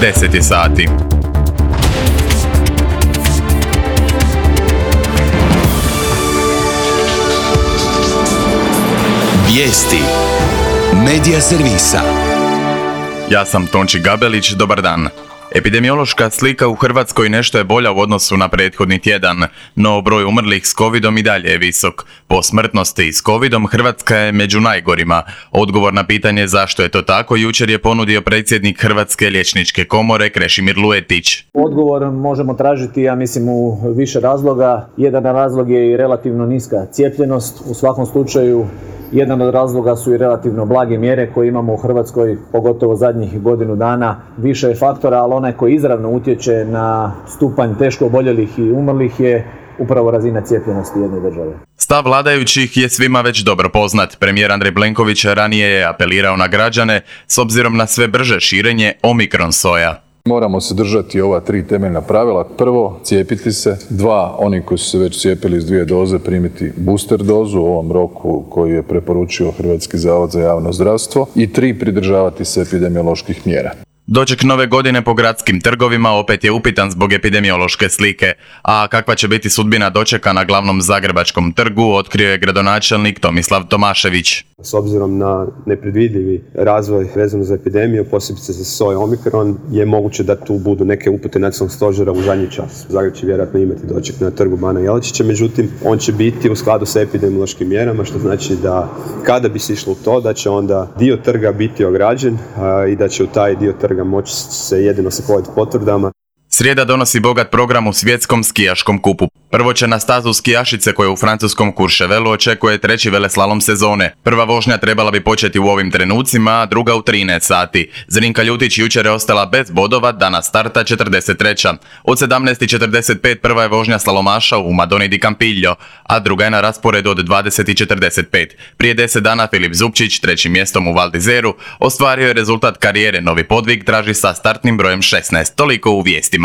10 je sati. Vijesti Medija servisa. Ja sam Tonči Gabelić, dobar dan. Epidemiološka slika u Hrvatskoj nešto je bolja u odnosu na prethodni tjedan, no broj umrlih s covidom i dalje je visok. Po smrtnosti s covidom Hrvatska je među najgorima. Odgovor na pitanje zašto je to tako jučer je ponudio predsjednik Hrvatske liječničke komore Krešimir Luetić. Odgovor možemo tražiti, ja mislim, u više razloga. Jedan razlog je i relativno niska cijepljenost. U svakom slučaju, jedan od razloga su i relativno blage mjere koje imamo u Hrvatskoj, pogotovo zadnjih godinu dana. Više je faktora, ali onaj koji izravno utječe na stupanj teško oboljelih i umrlih je upravo razina cijepljenosti jedne države. Stav vladajućih je svima već dobro poznat. Premijer Andrej Plenković ranije je apelirao na građane s obzirom na sve brže širenje omikron soja. Moramo se držati ova 3 temeljna pravila. Prvo, cijepiti se. 2, oni koji su se već cijepili s 2 doze, primiti booster dozu u ovom roku koji je preporučio Hrvatski zavod za javno zdravstvo. I 3, pridržavati se epidemioloških mjera. Doček nove godine po gradskim trgovima opet je upitan zbog epidemiološke slike, a kakva će biti sudbina dočeka na glavnom zagrebačkom trgu otkrio je gradonačelnik Tomislav Tomašević. S obzirom na nepredvidljivi razvoj vezano za epidemiju, posebice za soj omikron, je moguće da tu budu neke upute nacionalnog stožera u zadnji čas. Zagreb će vjerojatno imati doček na trgu Bana Jelačića, međutim, on će biti u skladu sa epidemiološkim mjerama, što znači da kada bi se išlo u to, da će onda dio trga biti ograđen i da će u taj dio trga moći se jedino sa COVID potvrdama. Srijeda donosi bogat program u svjetskom skijaškom kupu. Prvo će na stazu skijašice koje u francuskom Courchevelu očekuje 3. veleslalom sezone. Prva vožnja trebala bi početi u ovim trenucima, a druga u 13 sati. Zrinka Ljutić jučer je ostala bez bodova, danas starta 43. Od 17:45 prva je vožnja slalomaša u Madoni di Campiglio, a druga je na rasporedu od 20:45. Prije 10 dana Filip Zupčić, 3. mjestom u Val d'Izeru, ostvario je rezultat karijere. Novi podvig traži sa startnim brojem 16. Toliko u vijestima.